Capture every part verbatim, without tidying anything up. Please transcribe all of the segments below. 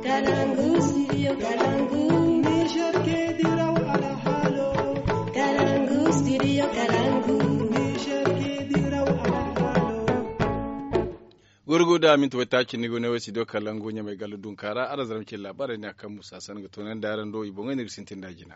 Kalangu, studio Kalangu. Niger ke diraw alhaalo. Kalangu, studio Kalangu. Niger ke diraw alhaalo. Gurgu da minti waytaaci ni go ne wo studio Kalangu ɲamay gallu dunkaara araŋ zarma ce laabaarey ne a kaŋ musa san ga toonandi araŋ do i boŋey ni ga sintin da jina.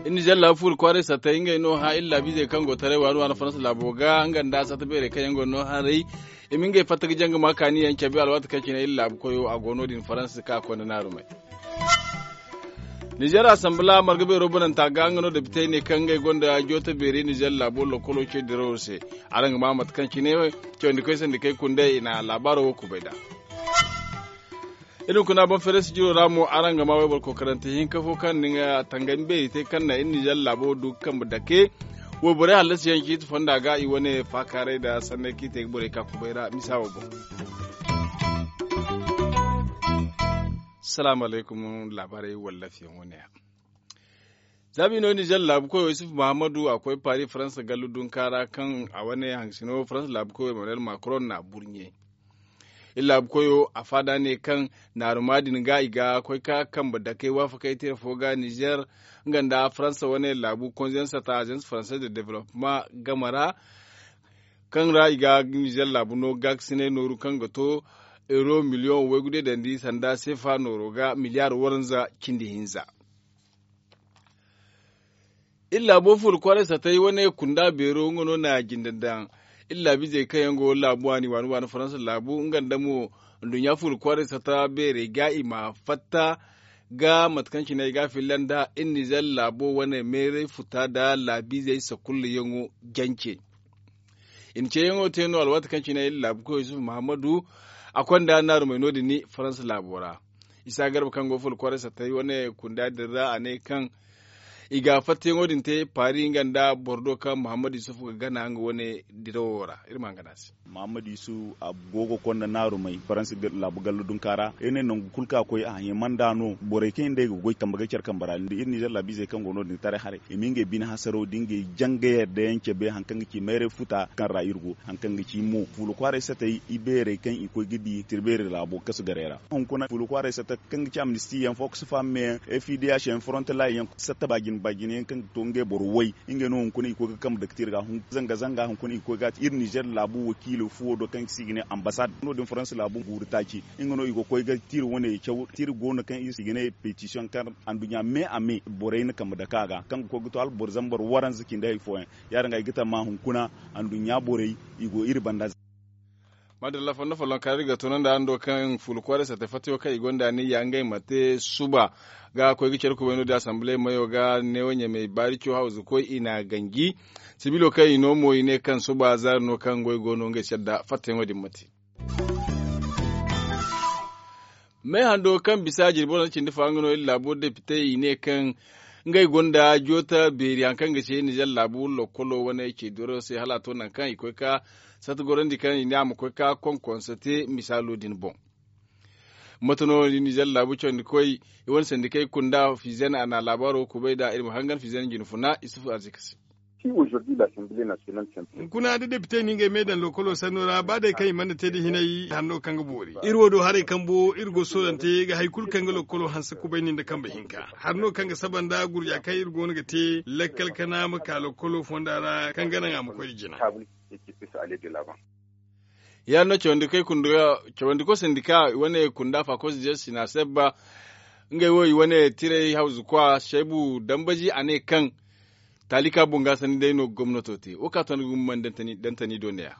Iri nizer laabu fuuri kwaaray sattay ngey no hã iri laabiizey kaŋ go taray waani waani faransa laabo ga nga nda satta beerey kaŋ yaŋ go no haray. I ma ngey fatta ga jaŋ ga ma kaani yaŋ cabe alwaati kaŋ cine iri laabu koyo a go no- din faransa ka a konda naarumey. Nizer asanbila marga beero bananta ga nga no depitey ne kaŋ ngey gonda joota beeri nizer laabo lokolo ce dirawo se. Araŋ ga ma mate kaŋ cine cawandi koy sandi kay kundey i na laabaaro wo kubay nd'a. Iri hunkuna boŋ feere sijiro ra mo araŋ ga ma wayboro kokarante hinka fo kaŋ na nga tangami beeri te kaŋ na iri nizer laabo du ga kambe dake. Wayborey hallasiyaŋ ciiti fonda ga i wane faakaaray nda sanney kaŋ i te ga borey ka kubay ra misa wo boŋ. Salaamu alaykum. Laabaarey wallafiyaŋ wane ya. Za ma i no nizer laabu koyo yusuf muhammadu a koy paari faransa gallu dunka ra kaŋ a wane haŋsino faransa laabu koyo emmanuel macron na burɲe. Iri laabu koyo a faada ne kaŋ naaruma din ga i ga koy ka kambe dakey waafakey tira fo ga nizer nga nda faransa wane laabu konzensata agence française de développement game ra kaŋ ra i ga nizer laabu no gaakasinay nooru kaŋ ga to euro miliyoŋ waygu day dandi sanda seefa nooro ga miliyaar waranza cindi hinza. Iri laabo fuula kwaaray satay wane kunda beero nga no na jinde daŋ. Iri laabiizey kaŋ yaŋ go laabu waani waani faransa laabu nga nda mo nduɲɲa fuula kwaaray sata beerey ga i ma fatta ga mate kaŋ cine ay ga a filla nda iri nizer laabo wane meeray futa nda laabiizey sakullayaŋo jance. I na ceeyaŋo te no alwaati kaŋ cine iri laabu koy yusuf muhammadu a konda naarumey no- din faransa laabo ra. Isa garba kaŋ go fuula kwaaray satay wane kunda din ra a ne kaŋ i ga fattayaŋo din te paari nga nda boro do kaŋ muhammad yusuf ga gana nga wane dirawo ra iri ma nga no a se. Muhammad yusuf a go ga konda naarumey faransa laabu gallo dunka ra iri ne nangu kulu kaŋ a koy a hima nd'a no borey kaŋ yaŋ day ga goy kambe ga care kambe ra nda iri nizer laabiizey kaŋ go no- din taray haray i ma ngey bine hasaro da ngey jangayey da yaŋ cabe hari kaŋ ga ci mayray futa kaŋ ra iri go hari kaŋ ga ci mo fuula kwaaray satay ibeerey kaŋ i koy ga di tirbeeri laabo kasu garey ra hunkuna fuula kwaaray sata kaŋ ga ci amnisti yaŋ fo kasu fahamey yaŋ fdh yaŋ fronte lay yaŋ satta baajine baajine yaŋ kaŋ ga to ngey boro way ngey no hunkuna i koy ga kambe dake te iri ga zanga zanga hunkuna i koy ga a te iri nizer laabu wakiilo fuwo do kaŋ se i ga ne ambasad no- din faransa laabu guuru taaci nga no i ga koy ga te iri wane caw te iri go no kaŋ se i ga ne petisiyoŋ kaŋ anduɲɲa me a me borey na kambe dake a ga kaŋ ga koy ga to hala boro zambar waranza cindi hari fooyaŋ ya- din ga ay ga tamma hunkuna anduɲɲa borey i go iri banda. Madalla fondo folloŋ kaari ga tunanda hando kaŋ fuula kwaaray sata fatayo kaŋ i gonda ni ya ngey ma te suba ga koy ga care kubay no- din asamble mayo ga neewo ɲamey baari co hawzu koy i na ganji sibilo kaŋ i no mo i ne kaŋ suba zaari no kaŋ goy go no ngey se adda fattayaŋo din ma te. Me hando kaŋ bisa jirbi wane cindi fa nga no iri laabo depitey i ne kaŋ ngey gonda joota beeri hari kaŋ ga ce nizer laabu lokkolo wane ceediro se hala a to nangu kaŋ i koy ka sata gorandi kaŋ i ne a ma koy ka konkonse te misaalo din boŋ. Mate no nizer laabu cawandi koy i wane sandikey kunda fizen a na laabaaro kubay nd'a iri ma hangan fizen jine funa isufu arzika se. Hunkuna da depite no ngey me daŋ lokolo sanno ra ba day kaŋ i mana te da hinay hari no kaŋ ga boori iri wo do haray kambo iri go soolante ga hari kulu kaŋ ga lokolo hanse kubayni nda kambe hinka hari no kaŋ ga saba nda gurja kaŋ iri go no ga te lakkal kana ma ka lokolo fonda ra kaŋ ga naŋ a ma koy da jina. Ya- din no cawandi koy sandika i wane kunda fakos jersey na sebba ngey wo i wane tiray hawzu kwa shaybu dambaji a ne kaŋ taalika bungaasandi day no gomnato te wo ka to ni ga mumman dantani do ne ya.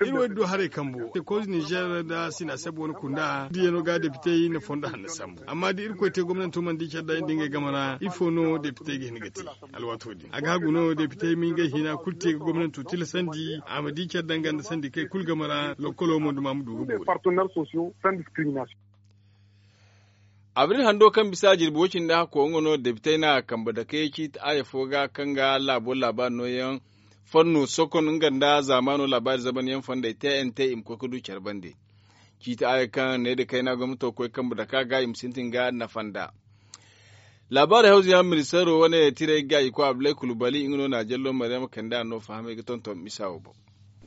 Iri wo iri du haray kambo te koz nizer nda sina seb wane kunda diya no ga depitey na fondo hanna sambu amma da irkoy te gomnanto mana di care da iri nda ngey game ra ifo no depitey ga hin ga te? Alwaato din a ga hagu no depitey ma ngey hina kulu te ga gomnanto tilasandi a ma di care danga nda sandi kay kulu game ra lokolo mo duma ma du ga boori. Abril hando kaŋ bisa jirbi wo cindi hakko nga no depitey na kambe dake ciiti aaya fo ga kaŋ ga laabo laabaari nooyaŋ fanno sokon nga nda zaamaano laabaari zamanyaŋ fondey tnt i ma koy ga du care bande. Ciiti aaya kaŋ ne nda kayna gomnato koy kambe dake a ga i ma sintin ga nafa nd'a. Laabaari hawzuyaŋ ministeero wane tiray ga i koy abdulay kulubali nga no na jallo maryama kande a no fahamay ga tonton misa wo boŋ.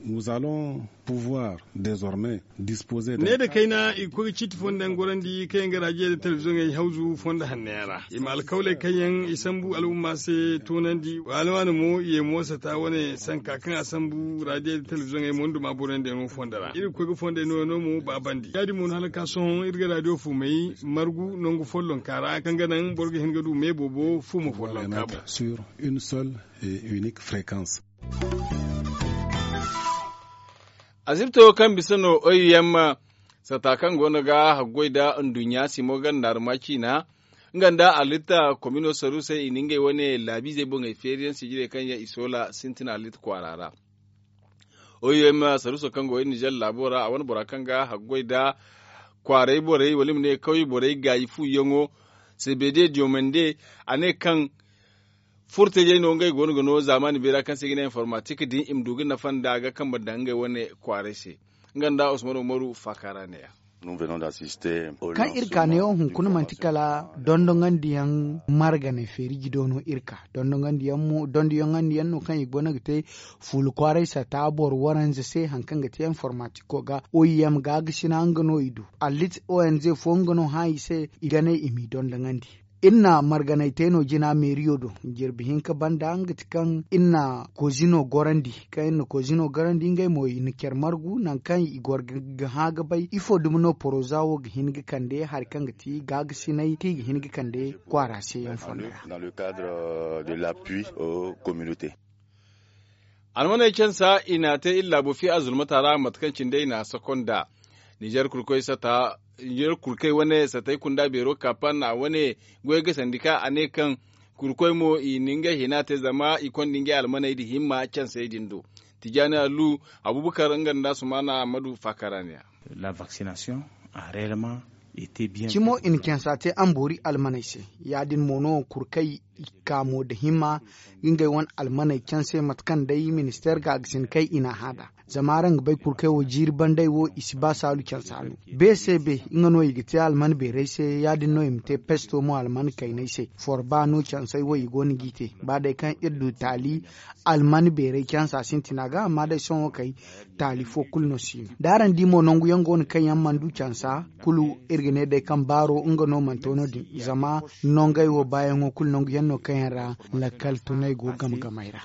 Nous allons pouvoir désormais disposer de ne da kayna i ga koy ga ciiti fondo yaŋ gorandi kaŋ yaŋ ga raadiyo da telebiziyoŋey hawzu fondo hanno yaŋ ra. I ma alkawley kaŋ yaŋ i sambu al'umma se toonandi waani waani mo i ye moosata wane sanka kaŋ a sambu raadiyo da telebiziyoŋey mo nda ma boro yaŋ da yaŋ no fondo ra iri ga koy ga fondo yaŋ no yaŋ no mo baabandi ya- din mo no hala ga ka sohõ iri ga raadiyo fuumey margu nangu follonka ra kaŋ ga naŋ boro ga hin ga du me boobo fuuma follonka boŋ. Sur une seule et unique fréquence. Asibto kaŋ bisa no oim sata kaŋ go no ga haggoy nda nduɲɲa simo ganda arma ciina nga nda alitta komino saru se i na ngey wane laabiizey boŋey feeriyaŋ sijirey kaŋ yaŋ i soola sintina alitta kwaara ra. Oim saruso kaŋ go iri nizer laabo ra a wane bora kaŋ ga haggoy nda kwaaray borey wala i ma ne kawye borey gaayi fuuyaŋo sebede diyomande a ne kaŋ furtajey no ngey go no ga no zaamaani beera kaŋ se i ga ne informatik din i ma du ga nafa nda ga kambe daŋ ngey wane kwaaray se. Nga nda usman umaru faakara neeya. Kaŋ iri ka neewo hunkuna manti kala dondoŋandiyaŋ marganay feeri jido no iri ka dondoŋandiyaŋ no kaŋ i go no ga te fuula kwaaray sata boro waranza se hari kaŋ ga te informatiko ga oim gaagasi na nga no i du. Allit onz fo nga no hã i se i ga ne i m'i dondoŋandi. Iri na marganay te no jina meeriyo do jirbi hinka banda nga ti kaŋ iri na kozino gorandi kaŋ iri na kozino gorandi ngey mo i na care margu nangu kaŋ i goro ga hã ga bay ifo dumi no poroza wo ga hin ga kande hari kaŋ ga ti gaagasinay kaŋ i ga hin ga kande kwaara se yaŋ fondo ra. Almaney cansa i n'a te iri laabo fiya azulmata ra mate kaŋ cine day i n'a sako nd'a. Nizer kurkoy sata nizer kurkoy wane satay kunda beero kaapan a wane goy ga sandi ka a ne kaŋ kurkoy mo i na ngey hina te zama i konda ngey almaney nda himma cansey din do. Tijaani allu abubakar nga nda sumaana ammadu faakara ne ya. Cimo i na cansa te amboori almaney se. Ya- din mo no kurkey i kaamo nda himma ga ngey wane almaney canse mate kaŋ day ministeer gaagasin kay i n'a hã nd'a. Zama araŋ ga bay kurkey wo jiiri bandey wo i si ba saalu cansa no. Be se be nga no i ga te alman beerey se ya- din no i ma te pesto mo alman kayney se. Forba no cansey wo i go no g'i te ba day kaŋ iri du taali alman beerey cansa sintina ga amma day sohõ kay taali fo kulu no si no da araŋ di mo nangu yaŋ go no kaŋ yaŋ mana du cansa kulu. Iri ga ne day kaŋ baaro nga no mana to no- din zama nongey wo baayaŋo kulu nangu yaŋ no kaŋ yaŋ ra lakkal tunay go game gamey ra.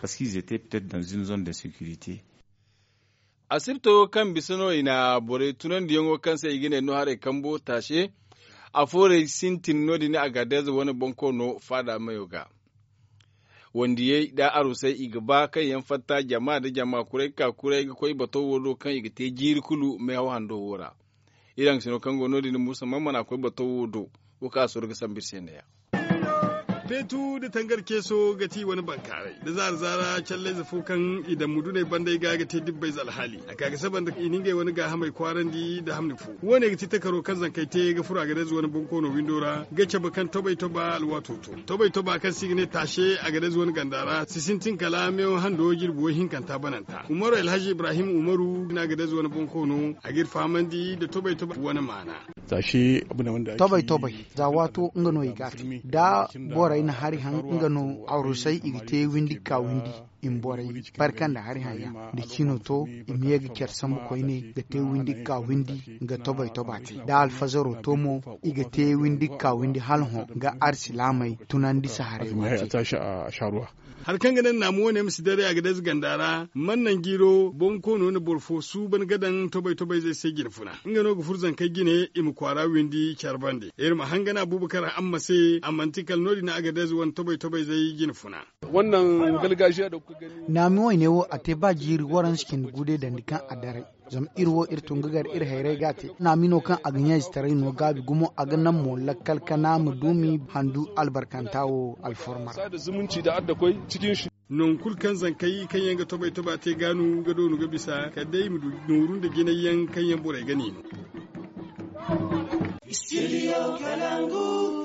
Asibto kaŋ bisa no i na borey tunandiyaŋo kaŋ se i ga ne no haray kambo taase. Afoorey sintin no- din a ga deeza wane bonkoono faada mayo ga. Wandiyey nda arusey i ga ba kaŋ yaŋ fatta jama nda jama kuray ga ka kuray ga koy bato wo do kaŋ i ga te jiiri kulu meehaw hando wo ra. Iri haŋ sino kaŋ go no- din musa man mana koy bato wo do. Wo kaŋ a soro ga sambu iri se neeya. Feetu nda tangar ceeso ga ti i wane bankaaray nda zaara zaara callayze fo kaŋ i daŋ muduney bandey ga ga te dibbayze alhaali a ka ga saba nda i na ngey wane gaahamey kwaarandi nda hamni fo. Wo- ne ga ti takaro kaŋ zankey te ga furo a ga dayze wane bonkoono windo ra ga cabe kaŋ tobay toba alwaato to. Tobay toba kaŋ se i ga ne taase a ga dayze wane ganda ra si sintin kala meewo hando jirbi woy hinkanta bananta umaru alhaji ibrahim umaru no a ga dayze wane bonkoono a ga iri fahamandi nda tobay toba wane maana. Tobay tobay za waato nga no i ga a te da borey na hari haŋ nga no arusey i ga te windi ga ka windi. I ma borey barka nda hari haŋ yaŋ da cino to i ma ye ga care sambu koyne ga te windi ga ka windi ga tobay toba te da alfazaro to mo i ga te windi ga ka windi hala hõ ga arsilaamey tunandi saharay wo te. Hari kaŋ ga naŋ naamu wane ma si daray a ga dayze ganda ra man naŋ jiiro bonkoono na boro fo suuban ga daŋ tobay tobayzey se jine funa nga no ga furo zankey jine i ma kwaara windi care bande iri ma hangan abubakar amma se a manti kala no- din a ga dayze wane tobay tobayzey jine funa. Naami wayne wo a te ba jiiri waranza cindi gude dandi kaŋ a daray. Zama iri wo iri tun ga gar iri hayray ga a te naami no kaŋ a ga ɲa-izetaray no gaabi gumo a ga naŋ mo lakkal kana ma du m'i handu albarkanta wo alforma ra. Nangu kulu kaŋ zankey kaŋ yaŋ ga tobay toba te gaanu ga doonu ga bisa kala day i ma du nooru nda jinay yaŋ kaŋ yaŋ borey ga niino.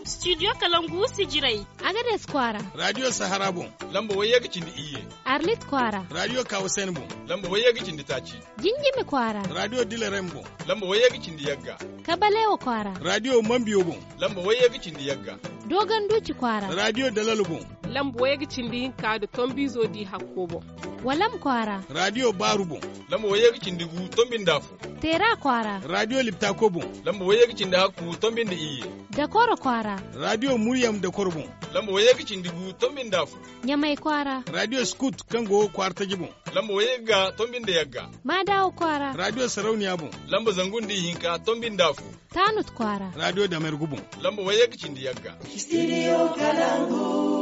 Studio kalangu sijirey. Agades kwaara. Radiyo sahara boŋ. Lamba wayye ga cindi iyye. Arlit kwaara. Radiyo kawusen boŋ. Lamba wayye ga cindi taaci. Jinjimi kwaara. Radiyo dilarem boŋ. Lamba wayye ga cindi yagga. Kabalewa kwaara. Radiyo mambiyo boŋ. Lamba wayye ga cindi yagga. Dogon duuci kwaara. Radiyo dalalo boŋ. Lamba wayye ga cindi hinka nda tombiizo di hakko boŋ. Walam kwaara. Raadiyo baaru boŋ. Lamba wayye ga cindi gu tombi nda afo. Teera kwaara. Raadiyo liptako boŋ. Lamba wayye ga cindi hakku tombi nda iyye. Dakoro kwaara. Raadiyo muryam dakoro boŋ. Lamba wayye ga cindi gu tombi nda afo. Ɲamay kwaara. Raadiyo skut kaŋ go kwaara taji boŋ. Lamba wayye ga tombi nda yagga. Maadawo kwaara. Raadiyo sarauniya boŋ. Lamba zangu nda ihinka tombi nda afo. Taanut kwaara. Raadiyo damergu boŋ. Lamba wayye ga cindi yagga. Studio Kalangu.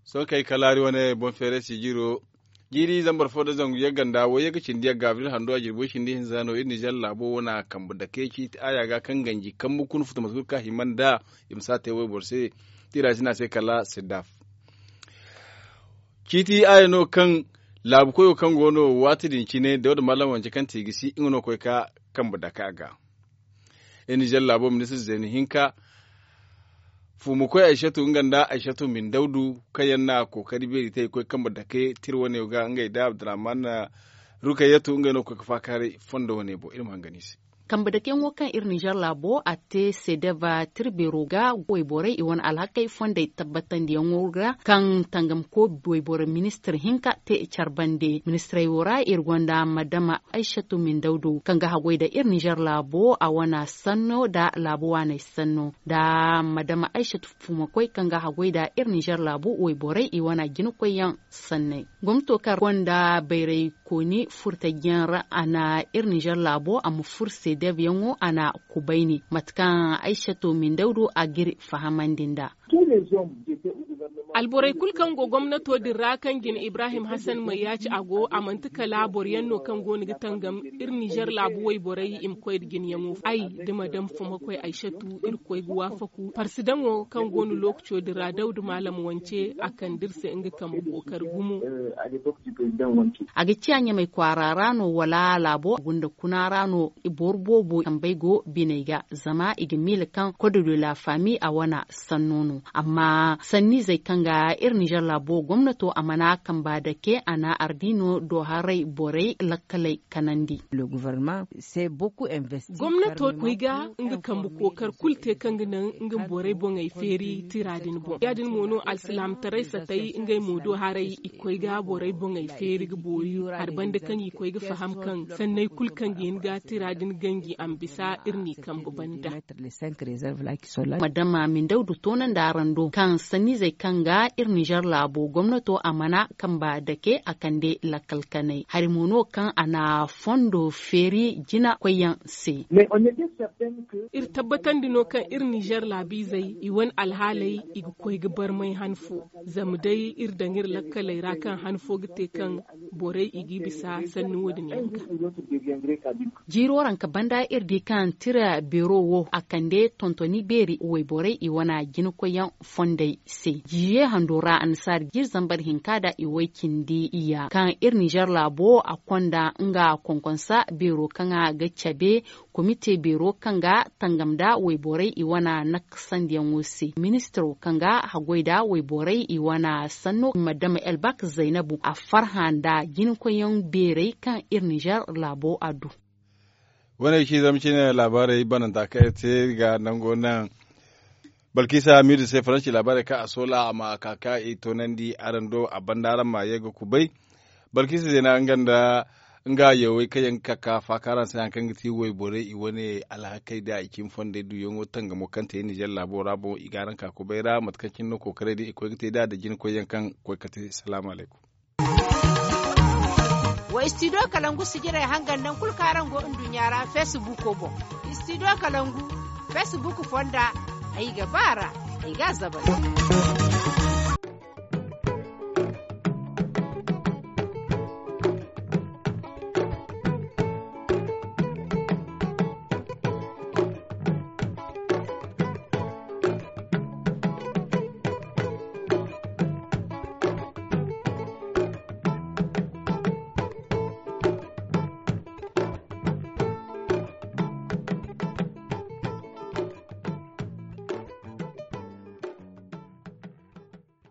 Sohõ kay kalaari wane boŋ feeray sijiro. Jiiri zambar fo nda zangu yagga nda wayye ga cindi yagga abril hando a jirbi way cindi hinza no iri nizer laabo wane kambe dake ciiti aya ga kaŋ ganji kambe kuna futu mate kulu kaŋ a hima nda i ma si a te wayboro se. Tiira si ne a se kala sidaf. Ciiti aya no kaŋ laabu koyo kaŋ go no waati din cine dawda mallam wance kaŋ te i ga si nga no koy ka kambe dake a ga. Iri nizer laabo ministir zeeni hinka fuumakoy aysatu nga nda aysatu mindawdu kaŋ yaŋ na kookari beeri te i koy kambe dake tira wane ga ngey da abdurrahman rukayatu ngey no ga koy ga faakaaray fondo wane boŋ iri ma hangan i se. Kambe dakeyaŋo kaŋ iri nizer laabo a te sedeva tira beero ga wayborey i wane alhakey fondey tabbatandiyaŋo ra kaŋ tangamko wayboro ministir hinka te care bande ministirey wo ra iri gonda madama aysatu mindawdu kaŋ ga haggoy nda iri nizer laabo a wane sanno nda laabo waaney sanno nda madama aysatu fuumakoy kaŋ ga haggoy nda iri nizer laabo wayborey i wane jinakoyyaŋ sanney. Gomnato kaŋ gonda bayray kooni furtajiyaŋ ra a na iri nizer laabo a ma furo sedev yaŋo a na kubayni mate kaŋ aysato mindawdu a g'iri fahamandi nd'a. Alborey kulu kaŋ go gomnato din ra kaŋ jine ibrahim hasan mayyaaci a go a manti kala boro yaŋ no kaŋ go no ga tangam iri nizer laabu wayborey i ma koy nda jinayaŋo ay da madam fumakoy aysatu irkoy ga waafaku parsidaŋo kaŋ go no lookaco din ra dawda maalam wance a kande iri se nga kambe kookari gumo. A ga ciya ɲamay kwaara ra no wala laabo gunda kuna ra no boro boobo kambey go biney ga zama i ga miila kaŋ kodo de la fami a wane sanno no amma sanniizey kaŋ ga iri nizer laabo gomnato a mana kamba dake a na ardiino do haray borey lakkaley kanandi. Gomnato koy ga nga kambe kookar kulu te kaŋ ga naŋ nga borey boŋey feeri tira din boŋ ya- din mo no alsilaamataray satay ngey mo do haray i koy ga borey boŋey feeri ga boori hari banda kaŋ i koy ga faham kaŋ sanney kulu kaŋ ga hin ga tira din ganji a ma bisa iri n'i kambe banda. Madama mindawdu toonandi araŋ do kaŋ sanniizey kaŋ ga iri nizer laabo gomnato a mana kamba dake a kande lakkal kanay hari mo no kaŋ a na fondo feeri jina koyyaŋ se. Iri tabbatandi no kaŋ iri nizer laabiizey i wane alhaaley i ga koy ga barmay han fo zama day iri daŋ iri lakkaley ra kaŋ han fo ga te kaŋ borey i g'i bisa sanni wo- din yaŋ ga. Jiiro ranka banda iri di kaŋ tira beero wo a kande tontoni beeri wayborey i wane jinakoyyaŋ fondey se jiiye hando ra annasaari jiiri zambar hinka nda i way cindi iyya kaŋ iri nizer laabo a konda nga konkonsa beero kaŋ a ga cabe komite beero kaŋ ga tangam nda wayborey i wane nakasandiyaŋo se ministiro kaŋ ga haggoy nda wayborey i wane sanno madama elbak zaynabu a farhã nda jinakoyyaŋ beerey kaŋ iri nizer laabo a du. Wane ga ci zama cine laabaarey bananta kaŋ iri te ga nango naŋ balkisa hamidu se faransi laabaarey kaŋ a soola a ma ka ka i toonandi araŋ do a banda araŋ ma ye ga kubay. Balkisa zeena nga nda nga yawey kaŋ yaŋ ga ka ka faaka araŋ se hari kaŋ ga ti wayborey i wane alhakey nda i cimi fondey duyaŋo tangamo kaŋ te nizer laabo ra boŋ i ga araŋ ka kubay ra mate kaŋ cine no kookarey din i koy ga te nd'a nda jinakoyyaŋ kaŋ koy ga te salaamu alaykum. Wa istidiyo kalangu sijirey hangan naŋ kulu kaŋ araŋ go nduɲɲa ra feesibuuko boŋ. Istidiyo kalangu feesibuuku fonda ay ga ba a ra ay ga a zabari.